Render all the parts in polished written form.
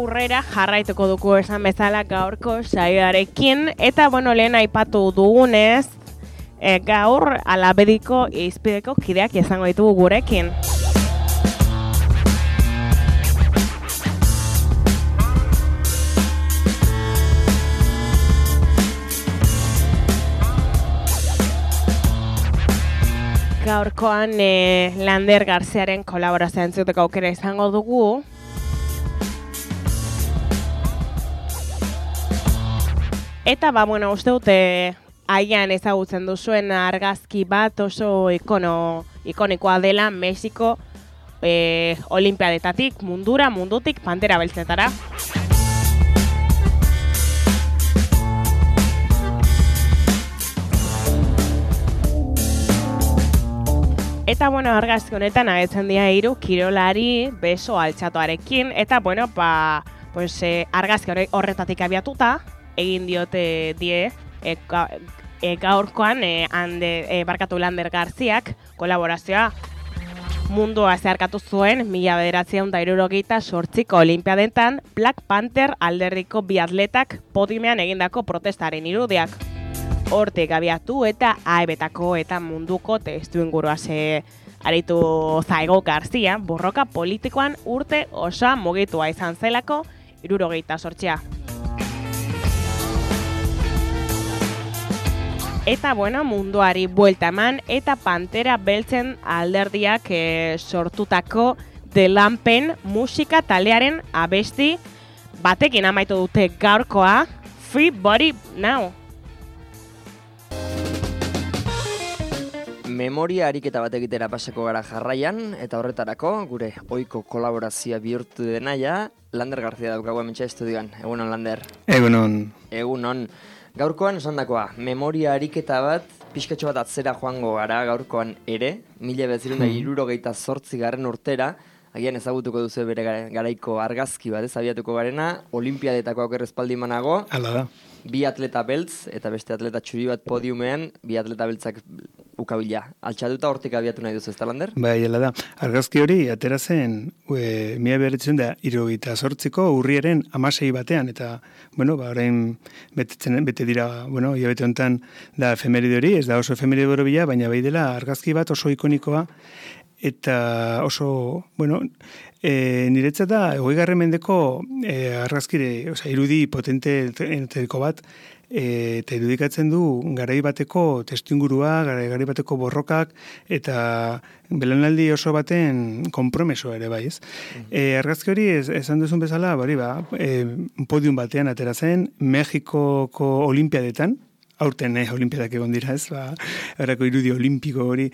aurrera jarraituko dugu esan bezala gaurko saioarekin, eta lehen aipatu dugunez, gaur Alabediko izpideko kideak izango ditugu gurekin. Gaurkoan Lander Garziaren kolaborazioa entzuteko aukera izango dugu. Eta uste dute aian ezagutzen duzuen argazki bat oso ikonikoa dela Mexiko olimpiadetatik mundutik Pantera Beltzetara. Eta argazki honetan agertzen dira 3 kirolari beso altxatuarekin, eta argazki horretatik abiatuta egin diote gaurkoan Lander Garziak kolaborazioa mundua zeharkatu zuen 1978ko olimpiadetan Black Panther alderriko bi atletak podiumean egindako protestaren irudiak. Hortik abiatu eta AEB-tako eta munduko testu inguruaz aritu zaigo Garzia, borroka politikoan urte osoa mugitua izan zelako 78. Eta munduari buelta eman eta Pantera Beltzen alderdiak sortutako The Lampen musika taldearen abesti batekin amaitu dute gaurkoa Free Body Now. Memoria ariketa bat egitera pasako gara jarraian, eta horretarako gure ohiko kolaborazioa bihurtu denaia, Lander Garzia daukagu hementsa estudioan. Egunon, Lander. Egunon. Gaurkoan esandakoa, memoria ariketa bat, pixkatxo bat atzera joango gara gaurkoan ere, 1978 urtera, agian ezagutuko duzu bere garaiko argazki bat, abiatuko garena, olimpiadetako aukerrezpaldi manago. Hala da. 2 atleta beltz, eta beste atleta txuri bat podiumean, 2 atleta beltzak ukabila. Altxatuta hortik abiatu nahi duzu, ez da, Lander? Bai, hala da. Argazki hori atera zen 1978ko urriaren 16 batean, eta, orain bete dira, hilabete honetan da efemeride hori, ez da oso efemeride borobila, baina bai dela argazki bat oso ikonikoa, eta oso, niretzat da, 20. mendeko argazkire, irudi potenteetako bat, eta irudikatzen du garai bateko testuingurua, garai bateko borrokak, eta belaunaldi oso baten konpromesoa ere bai, ez? Argazki hori, esan duzun bezala, podium batean atera zen, Mexikoko olimpiadetan, aurten olimpiadak egon dira, ez? Horako irudi olimpiko hori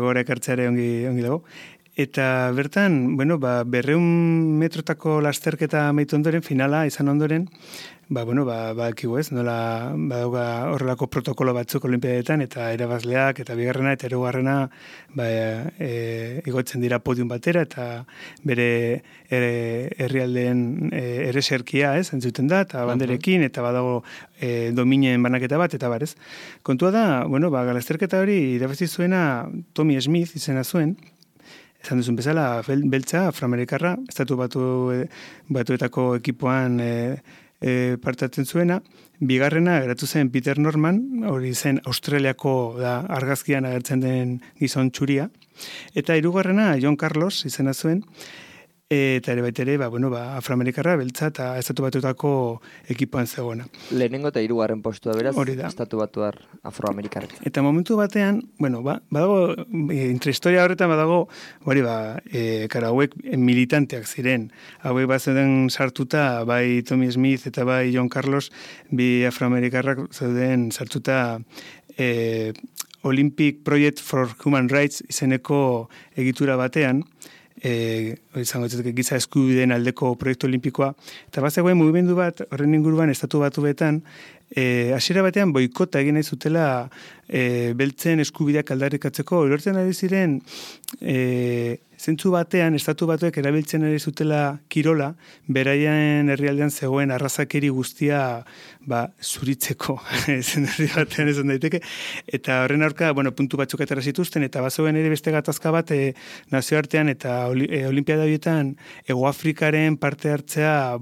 gora ekartzeare ongi dago. Eta bertan, 200 metrotako lasterketa amaitu ondoren, finala izan ondoren, bakigu ez, nola badauga horrelako protokolo batzuk olimpiadetan, eta irabazleak, eta bigarrena, eta hirugarrena igotzen dira podium batera, eta bere herrialdeen ereserkia, ez, entzuten da, eta banderekin, eta badago dominen banaketa bat, eta barez. Kontua da, lasterketa hori irabazi zuena Tommy Smith izena zuen, esan duzun bezala, beltza, afroamerikarra, estatu batuetako ekipoan partatzen zuena. Bigarrena, geratu zen Peter Norman, hori zen Australiako argazkian agertzen den gizon txuria. Eta hirugarrena, John Carlos izena zuen, eta ere baitere, afroamerikarra, beltza eta estatu batuetako ekipoan zegoena. Lehenengo eta 3. postua beraz, estatu batuar afroamerikarra. Eta momentu batean, badago, intrahistoria horretan badago, hauek militanteak ziren. Hauek bat zeuden sartuta, bai Tommy Smith eta bai John Carlos, bi afroamerikarrak zeuden sartuta Olympic Project for Human Rights izeneko egitura batean, izango giza eskubideen aldeko proiektu olimpikoa, eta bazegoen mugimendu bat horren inguruan estatu batuetan hasiera batean boikota egin nahi zutela beltzen eskubideak aldarrikatzeko, ulertzen ari ziren zentzu batean, estatu batuek erabiltzen ari zutela kirola, beraien herrialdean zegoen arrazakeri guztia zuritzeko, herri batean esan daiteke, eta horren aurka, puntu batzuk atera zituzten, eta bazegoen ere beste gatazka bat nazioartean eta olimpiada horietan Hego Afrikaren parte hartzea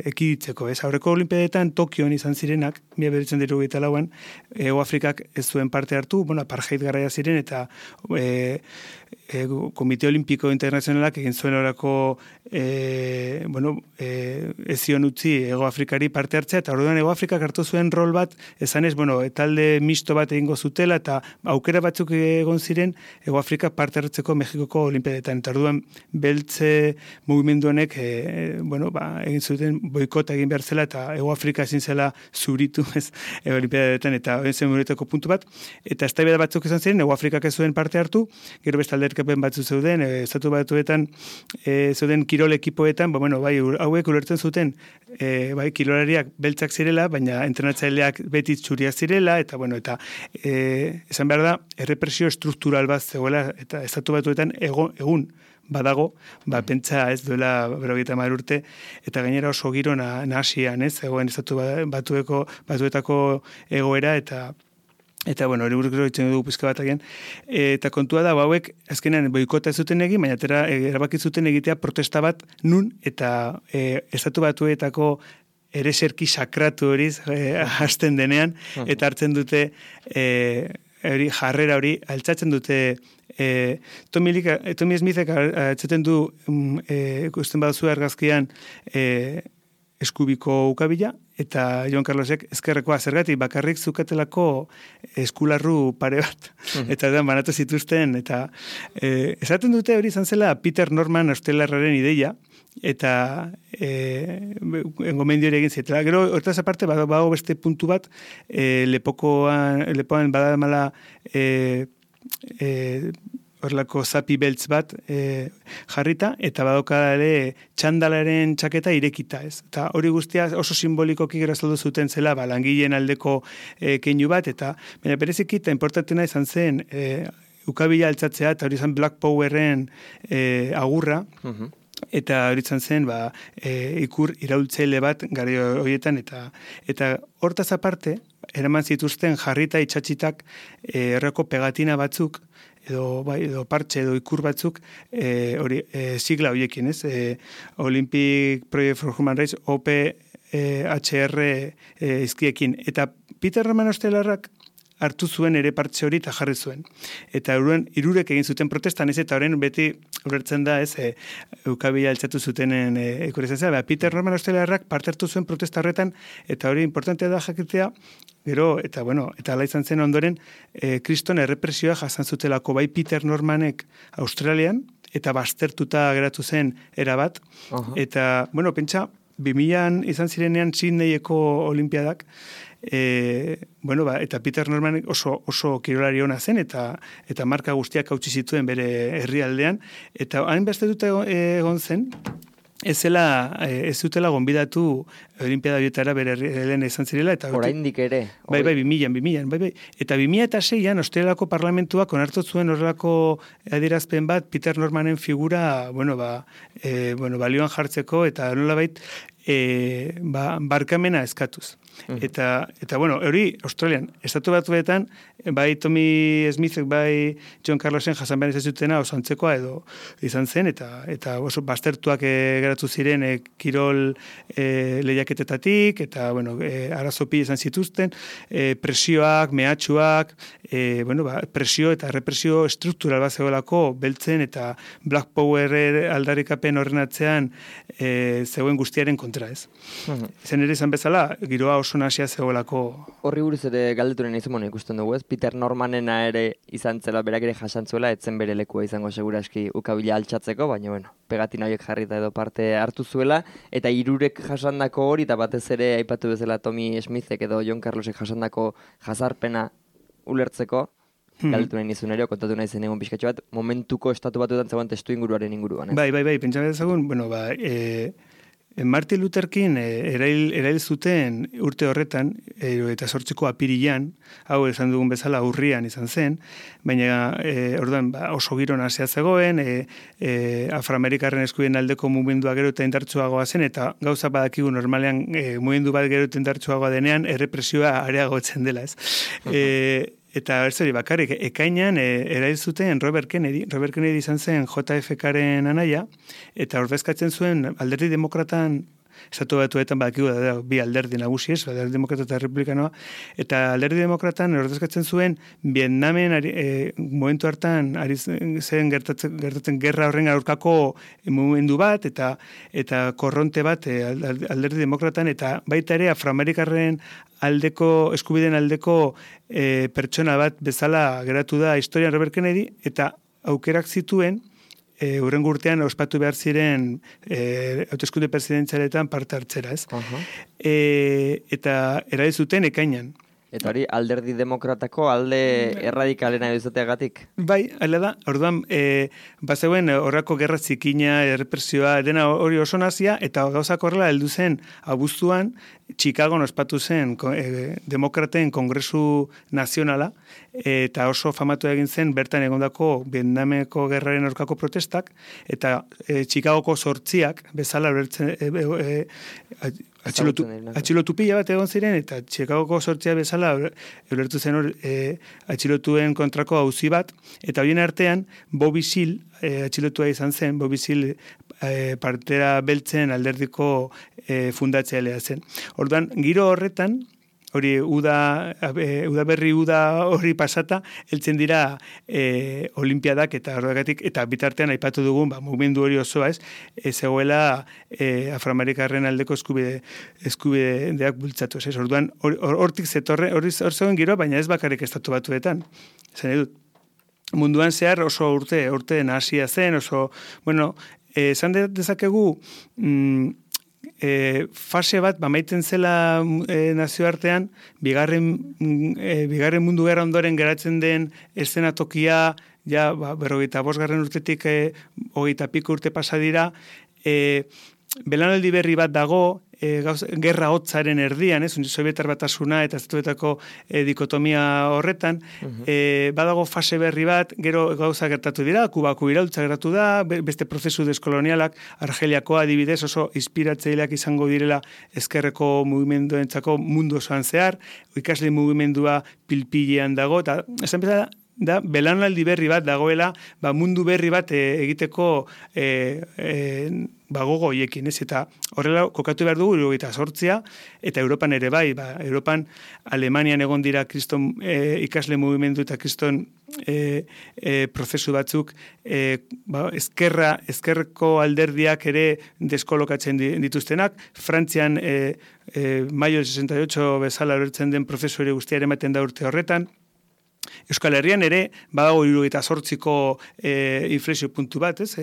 ekiditzeko. Aurreko olimpiadetan Tokioan izan zirenak, 1984an, Hego Afrikak ez zuen parte hartu, apartheid garaia ziren, eta Komite Olimpiko Internazionalak egin zuen horako ezion utzi Hego Afrikari parte hartzea, eta orduan Hego Afrikak hartu zuen rol bat, esanez, talde misto bat egingo zutela, eta aukera batzuk egon ziren Hego Afrikak parte hartzeko Mexikoko Olimpiadetan. Eta orduan beltze mugimendu honek egin zuten boikota egin behar zela, eta Hego Afrika ezin zela zuritu Olimpiadetan, eta egin zen muretako puntu bat, eta eztabaida batzuk izan ziren, Hego Afrikak ez zuen parte hartu, gero beste alderkapen batzu zeuden, estatu batuetan zeuden kirol ekipoetan, hauek ulertzen zuten, kirolariak beltzak zirela, baina entrenatzaileak beti txuriak zirela, eta esan behar da, errepresio estruktural bat zegoela, eta estatu batuetan egun badago, pentsa ez duela 50 urte, eta gainera oso giro nahasian, zegoen estatu batuetako egoera, eta hori buruz gero ditzen dugu pizka bat agian. Eta kontua da, hauek azkenean boikota ez zuten egin, baina erabaki zuten egitea protesta bat nun, eta estatu batuetako ereserki sakratu horiz hasten denean, eta hartzen dute jarrera hori, altzatzen dute Tommy Smithek altzaten du ikusten baduzu argazkian eskubiko ukabila, eta Jon Carlosek ezkerrekoa zergatik bakarrik zukatelako eskularru pare bat, eta banatu zituzten, eta esaten dute hori izan zela Peter Norman australiarraren ideia, eta gomendio ere egin zitela. Gero, hortaz aparte, badago beste puntu bat, lepoan badamala horrelako zapi beltz bat jarrita, eta badoka ere txandalaren txaketa irekita, ez. Eta hori guztia oso simbolikoki gero azaldu zuten zela, langileen aldeko keinu bat, eta baina bereziki eta importantena izan zen ukabila altzatzea, eta hori izan Black Powerren agurra, eta hori izan zen ikur iraultzaile bat gari horietan, eta hortaz aparte, eraman zituzten jarrita itxatxitak erreko pegatina batzuk, edo partxe edo ikur batzuk sigla horiekin, ez? Olympic Project for Human Rights, OPHR izkiekin. Eta Peter Norman australiarrak hartu zuen ere partxe hori eta jarri zuen. Eta hirurek egin zuten protestan, ez, eta horren beti ulertzen da, ez, ukabila altxatu zutenen ikurezen zela. Peter Norman australiarrak parte hartu zuen protesta horretan, eta hori importantea da jakitea, gero, eta ala izan zen ondoren, kriston errepresioa jasan zutelako bai Peter Normanek Australian, eta baztertuta geratu zen erabat, eta, pentsa, 2000an izan zirenean Sydneyeko olimpiadak, eta Peter Norman oso kirolari ona zen, eta marka guztiak hautsi zituen bere herrialdean, eta hain beste dute egon zen, ez zutela gonbidatu olimpiada horietara bere herrialdean izan zirela. Oraindik ere. Bai, 2000. Eta 2006an Australiako parlamentuak onartu zuen horrelako adierazpen bat Peter Normanen figura, balioan jartzeko, eta nolabait barkamena eskatuz. Eta hori Australian, estatu batuetan, bai Tommy Smithek, bai Jon Carlosen jasan behar izan zutena oso antzekoa edo izan zen, eta oso baztertuak geratu ziren kirol lehiaketetatik, eta arazopi izan zituzten, presioak, mehatxuak, presio eta represio struktural bat zegoelako beltzen eta Black Power aldarrikapen horren atzean zegoen guztiaren kontra, ez. Zen ere izan bezala, giroa oso nasia zegoelako. Horri buruz ere galdeturen izan ikusten dugu, ez? Peter Normanena ere izan zela, berak ere jasantzuela, etzen bere lekua izango seguraski ukabila altxatzeko, baina pegatina horiek jarrita edo parte hartu zuela, eta hirurek jasandako hori, eta batez ere aipatu bezala Tommy Smithek edo Jon Carlosek jasandako jazarpena ulertzeko, galdetu nahi nizun ere, kontatu nahi zen egon pixkatxo bat, momentuko estatu batuetan zegoen testu inguruaren inguruan. Bai, pentsa bezagun, Martin Luther King erail zuten urte horretan, eta 8ko apirilean, hau esan dugun bezala urrian izan zen, baina orduan oso giro nasia zegoen, afroamerikarren eskubideen aldeko mugimendua gero eta indartsuagoa zen, eta gauza badakigu normalean mugimendu bat gero eta indartsuagoa denean, errepresioa areagotzen dela, ez? Eta ez hori bakarrik, ekainan erail zuten Robert Kennedy. Robert Kennedy izan zen JFK-ren anaia, eta ordezkatzen zuen alderdi demokratan, estatu batuetan badakigu da bi alderdi nagusi ez, alderdi demokrata eta republikanoa, eta alderdi demokratan ordezkatzen zuen Vietnamen momentu hartan ari zen gertatzen gerra horren aurkako mugimendu bat, eta korronte bat alderdi demokratan, eta baita ere afroamerikarren eskubideen aldeko pertsona bat bezala geratu da historian Robert Kennedy, eta aukerak zituen hurrengo urtean ospatu behar ziren hauteskunde presidentzialetan parte hartzera, ez? Eta erail zuten ekainan. Eta hori alderdi demokratako alde erradikalena izateagatik? Bai, hala da. Orduan, bazeuen horrako gerra zikina, errepresioa, dena hori oso nazia, eta gauzak horrela heldu zen abuztuan, Chicagon ospatu zen demokraten kongresu nazionala, eta oso famatu egin zen bertan egondako Vietnameko gerraren aurkako protestak, eta Chicagoko 8 bezala atxilotu pila bat egon ziren, eta Chicagoko 8 bezala ulertu zen atxilotuen kontrako auzi bat, eta horien artean Bobby Seale atxilotua izan zen, Bobby Seale partera beltzen alderdiko fundatzailea zen. Orduan, giro horretan, hori udaberri hori pasata, heltzen dira olimpiadak eta horregatik, eta bitartean aipatu dugun, mugimendu hori osoa ez, zegoela afroamerikarren aldeko eskubideak bultzatu ez. Orduan, hortik zetorre, hor zegoen giro, baina ez bakarrik estatu batuetan. Zen edut, munduan zehar oso urte nahasia zen, oso, bueno, esan dezakegu, fase bat, maiten zela nazioartean, bigarren mundu gerra ondoren geratzen den eszenatokia, ja, 45 urtetik 20 piko urte pasa dira, belanaldi berri bat dago, gerra hotzaren erdian, Sobietar Batasuna eta estatuetako dikotomia horretan, badago fase berri bat, gero gauza gertatu dira, Kubako iraultza gertatu da, beste prozesu deskolonialak, Argeliakoa adibidez oso inspiratzaileak izango direla ezkerreko mugimenduentzako mundu osoan zehar, ikasle mugimendua pilpilean dago, eta esan bezala, da, belanaldi berri bat dagoela, mundu berri bat egiteko gogo hoiekin, ez? Eta horrela kokatu behar dugu 78, eta Europan ere bai, Europan Alemanian egon dira kriston ikasle mugimendu eta kriston prozesu batzuk, ezkerreko alderdiak ere deskolokatzen dituztenak, Frantzian maio 68 bezala horretzen den prozesu ere guztia ere ematen da urte horretan, Euskal Herrian ere, badago 78ko inflexio puntu bat, ez?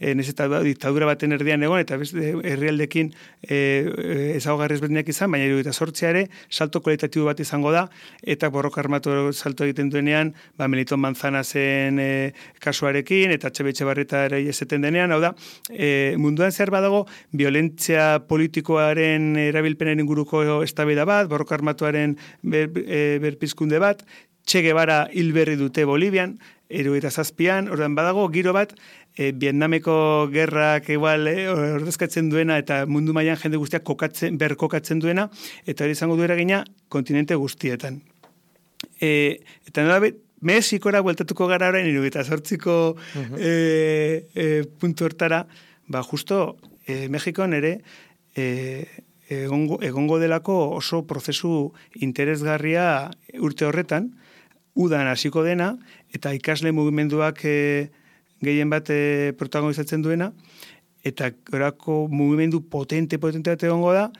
Nez eta diktadura baten erdian egon, eta herrialdekin ezaugarri ezberdinak izan, baina 78 ere, salto kualitatibo bat izango da, eta borroka armatu salto egiten duenean, Melitón Manzanasen kasuarekin, eta Etxebarrieta ere eseten denean, hau da, munduan zehar badago, violentzia politikoaren erabilpenen inguruko eztabaida bat, borroka armatuaren berpizkunde bat, Che Guevara hilberri dute Bolivian, 77an, ordan badago giro bat, Vietnameko gerrak igual ordezkatzen duena eta mundu mailan jende guztiak kokatzen duena, eta hori izango du eragina kontinente guztietan. Eta nola Mexikora bueltatuko gara orain 78ko puntu hortara, justo Mexikon ere egongo delako oso prozesu interesgarria urte horretan, udan hasiko dena, eta ikasle mugimenduak gehien bat protagonizatzen duena, eta orako mugimendu potente bat egongo da,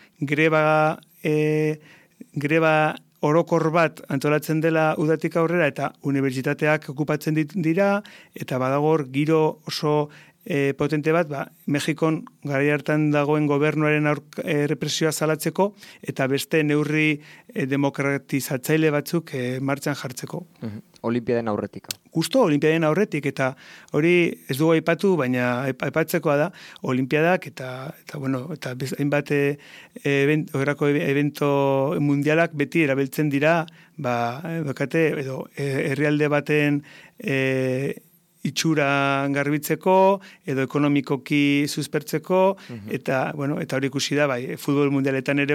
greba orokor bat antolatzen dela udatik aurrera, eta unibertsitateak okupatzen dira, eta badagor giro oso potente bat, Mexikon garai hartan dagoen gobernuaren represioa salatzeko, eta beste neurri demokratizatzaile batzuk martxan jartzeko. Olimpiaden aurretik. Justo Olimpiaden aurretik, eta hori ez dugu aipatu, baina aipatzekoa da, Olimpiadak eta hainbat horrako evento mundialak beti erabiltzen dira, herrialde baten itxura garbitzeko, edo ekonomikoki suspertzeko, eta hori ikusi da, futbol mundialetan ere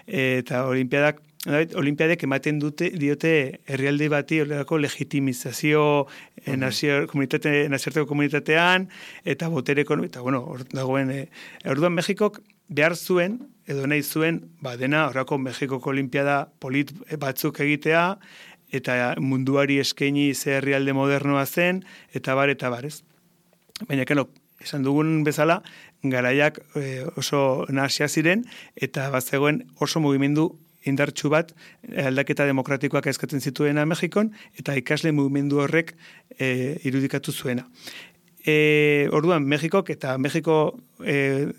eta Olimpiadek ematen diote herrialde bati horrelako legitimizazio nazioarteko komunitatean, eta botere ekonomiko, hor dagoen, orduan Mexikok behar zuen, edo nahi zuen, dena horrako Mexikoko Olimpiada polit batzuk egitea, eta munduari eskaini ze herrialde modernoa zen, eta bar, ez. Baina, esan dugun bezala, garaiak oso nahasia ziren, eta bazegoen oso mugimendu indartsu bat aldaketa demokratikoak eskatzen zituena Mexikon, eta ikasle mugimendu horrek irudikatu zuena. Orduan, Mexiko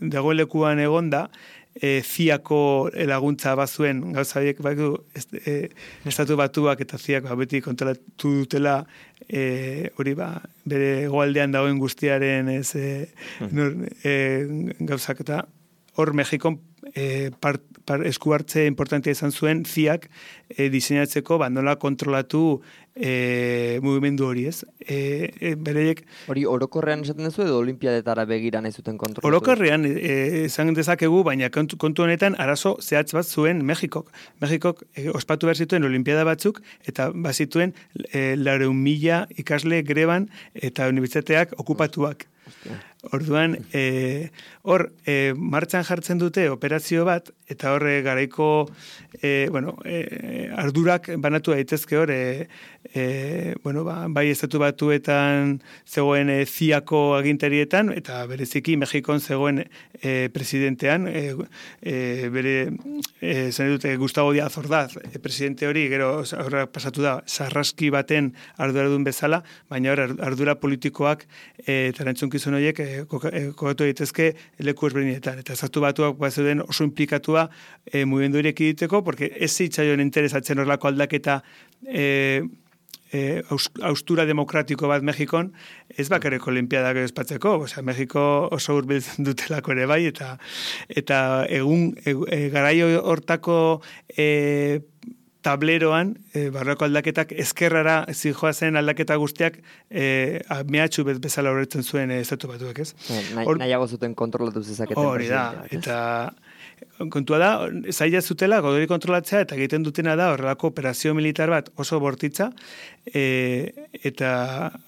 dagoen lekuan egonda, ziako laguntza bazuen, gauza horiek estatu batuak eta ziak beti kontrolatu dutela hori bere hegoaldean dagoen guztiaren gauzak eta hor Mexikon esku hartze importantea izan zuen ziak diseinatzeko nola kontrolatu mugimendu hori, ez? Bereiek... Hori orokorrean esaten duzu edo olimpiadetara begira nahi zuten kontrolatu? Orokorrean esan dezakegu, baina kontu honetan arazo zehatz bat zuen Mexikok. Mexikok ospatu behar zituen olimpiada batzuk eta bazituen 400,000 ikasle greban eta unibertsitateak okupatuak. Orduan, martxan jartzen dute operazio bat, eta horre garaiko ardurak banatu daitezke hor, bai estatu batuetan zegoen ziako agintarietan, eta bereziki Mexikon zegoen presidentean, bere, zen dute, Gustavo Díaz Ordaz, presidente hori, gero horra pasatu da, sarraski baten arduradun bezala, baina hor ardura politikoak eta erantzunkizun horiek kokatu daitezke leku ezberdinetan. Eta estatu batuak bazeuden oso implikatua mugimendu horiek egiteko, porque ez zitzaion interesatzen horrelako aldaketa austura demokratiko bat Mexikon, ez bakarreko olimpiadak espatzeko, Mexiko oso hurbiltzen dutelako ere bai, eta egun garai hortako tableroan, barroko aldaketak ezkerrara zijoazen aldaketa guztiak mehatxu bezala horretzen zuen estatu batuak, ez? Nahiago zuten kontrolatu zezaketen. Hori da, eta kontua da, zaila zutela, godori kontrolatzea, eta egiten dutena da, horrelako operazio militar bat oso bortitza, eta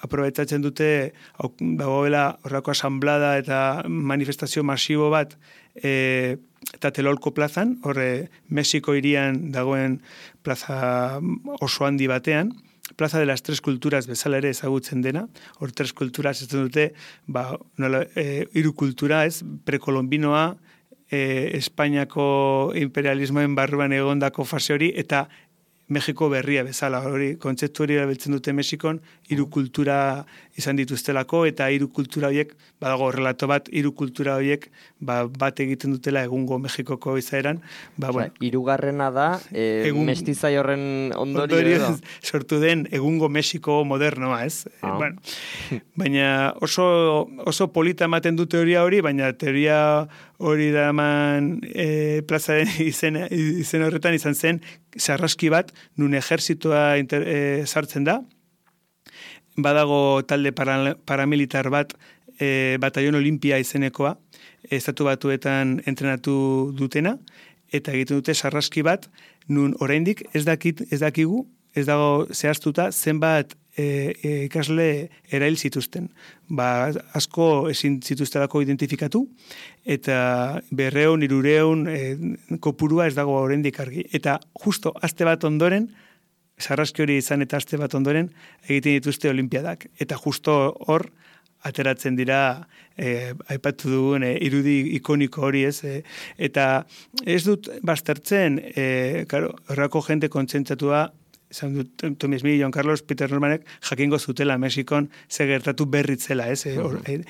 aprobetsatzen dute, dagoela horrelako asamblada eta manifestazio masibo bat, eta Telolko plazan, horre Mexiko hirian dagoen plaza oso handi batean, Plaza de las Tres Culturas bezala ere ezagutzen dena, hor Tres Culturas ez dute, hiru kultura ez, prekolombinoa, Espainiako imperialismoen barruan egondako fase hori, eta Mexiko berria bezala, hori kontzeptu hori erabiltzen dute Mexikon, hiru kultura izan dituztelako, eta hiru kultura horiek, badago relato bat, hiru kultura horiek bat egiten dutela egungo Mexikoko izaeran. Hirugarrena da, mestizai horren ondorio sortu den egungo Mexiko modernoa, ez? Baina oso polita ematen dute teoria hori, baina teoria hori da eman plazaren izen horretan izan zen, sarraski bat, nun ejerzitoa sartzen da, badago talde paramilitar bat, Batallon Olimpia izenekoa, estatu batuetan entrenatu dutena, eta egiten dute sarraski bat, nun oraindik ez dakigu, ez dago zehaztuta, zenbat ikasle erail zituzten. Asko ezin zituztelako identifikatu, eta 200, 300 kopurua ez dago oraindik argi. Eta justo aste bat ondoren, sarraski hori izan eta aste bat ondoren, egiten dituzte olimpiadak. Eta justo hor, ateratzen dira, aipatu dugun, irudi ikoniko hori ez. Eta ez dut baztertzen, horrako jente kontzentzatua esan dut, Tommy Smith, John Carlos, Peter Normanek jakingo zutela Mexikon ze gertatu berritzela, ez?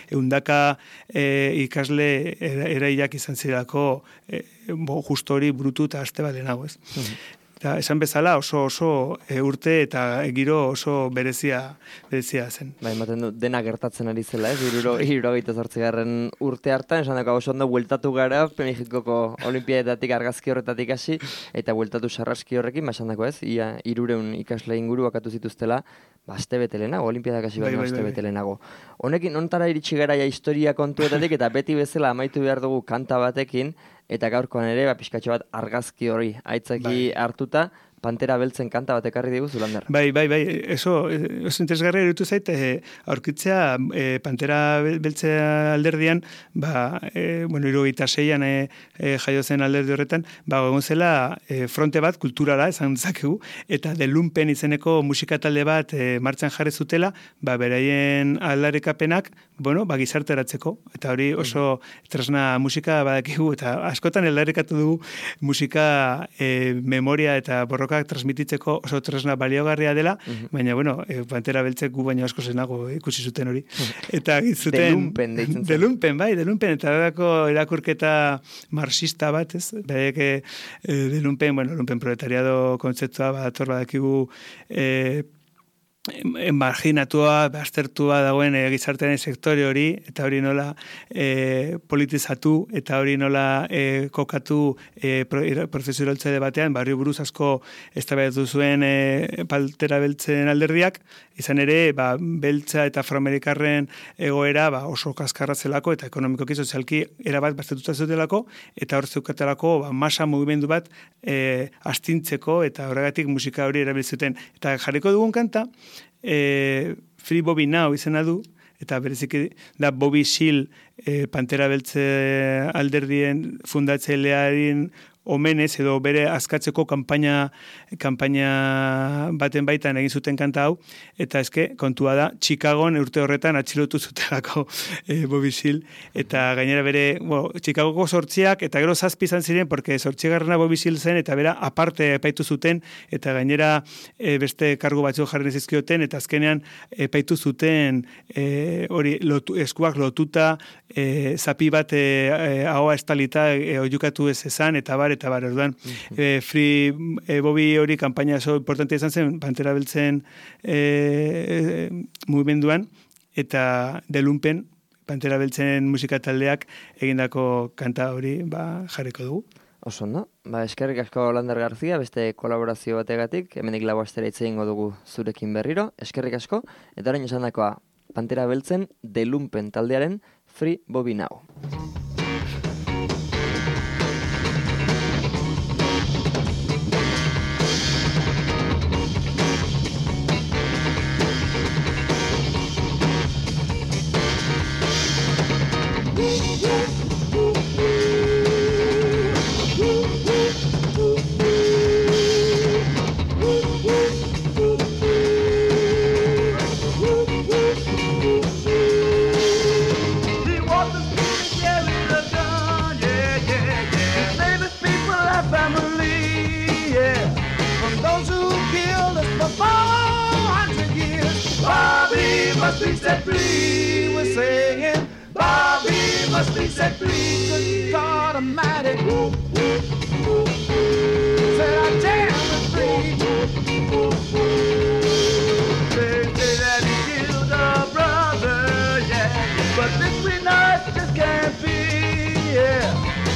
Eundaka ikasle eraiak izan zirako justo hori brutu eta aste bat lehenago, ez? Eta esan bezala oso urte eta giro oso berezia zen. Bai, ematen du, dena gertatzen ari zela, ez? 78. urte hartan, esan dago oso ondo bueltatu gara, Mexikoko olimpiadatik argazki horretatik hasi, eta bueltatu sarraski horrekin, esan dago ez, ia 300 ikasle inguru bakatu zituztela, aste bete lehenago, olimpiadak hasi baino aste bete lehenago. Honekin, ontara iritsi gara historia kontuetatik, eta beti bezala amaitu behar dugu kanta batekin, eta gaurkoan ere, pixkatxo bat argazki hori aitzaki hartuta, Pantera Beltzen kanta bat ekarri diguzu, Lander. Bai, oso interesgarria irutu zait, aurkitzea Pantera Beltzea alderdian, 76an jaio zen alderdi horretan, egon zela fronte bat, kulturala, esan dezakegu, eta The Lumpen izeneko musika talde bat martxan jarri zutela, beraien aldarrikapenak, gizarteratzeko, eta hori oso tresna musika badakigu, eta askotan aldarrikatu dugu musika memoria eta borroka transmititzeko oso tresna baliogarria dela, baina, Pantera Beltzek gu baino asko zenago ikusi zuten hori. Eta zuten... De Lumpen, eta horako erakurketa marxista bat, ez? Bereke, De Lumpen, Lumpen proletariado kontzeptua bat badakigu marginatua, baztertua dagoen gizartearen sektore hori, eta hori nola politizatu, eta hori nola kokatu prozesuraltze batean, barrio buruz asko eztabaidatu zuen Pantera Beltzen alderdiak, izan ere, beltza eta afroamerikarren egoera oso kaskarra zelako, eta ekonomikoki sozialki erabat baztertuta zutelako, eta hor zeukatelako masa mugimendu bat astintzeko, eta horregatik musika hori erabiltzuten. Eta jarriko dugun kanta, Free Bobby Now izena du, eta bereziki da Bobby Seale Pantera Beltze alderdien fundatzailearen omenez edo bere askatzeko kanpaina baten baitan egin zuten kanta hau, eta kontua da, Chicagon urte horretan atxilotu zutelako Bobby Seale, eta gainera bere, Chicagoko 8 eta gero 7 izan ziren, porque 8garrena Bobby Seale zen, eta bera aparte epaitu zuten, eta gainera beste kargu batzuk jarri zizkioten, eta azkenean epaitu zuten hori eskuak lotuta, zapi bat ahoa estalita oiukatu ez ezan, eta orduan, Free Bobby hori kanpaina oso importante izan zen, Pantera Beltzen mugimenduan, eta The Lumpen, Pantera Beltzen musika taldeak egindako kanta hori jarriko dugu. Oso ondo, eskerrik asko Lander Garzia, beste kolaborazio bategatik, hemenik lau astera hitz egingo dugu zurekin berriro, eskerrik asko, eta orain esan dakoa, Pantera Beltzen The Lumpen taldearen Free Bobby Now. Must be set free, we're saying Bobby must be set free. Good God Almighty, said I damn it free. They say that he killed a brother, yeah, but this we know it just can't be, yeah.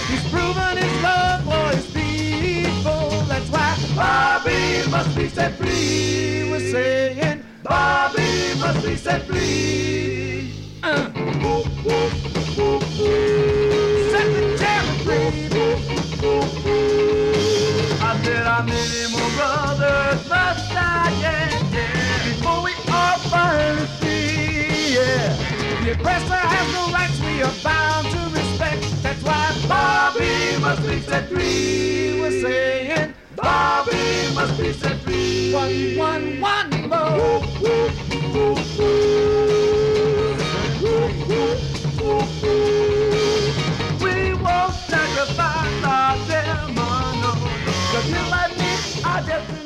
He's proven his love for his people, that's why Bobby must be set free. We're saying Bobby must be set free. Set the jam free. I said how many more brothers must die, yeah, before we all finally free, yeah. The oppressor has no rights, we are bound to respect. That's why Bobby must be set free. We're saying Bobby must be set free. One more. We won't sacrifice our demon, 'cause you like me, I just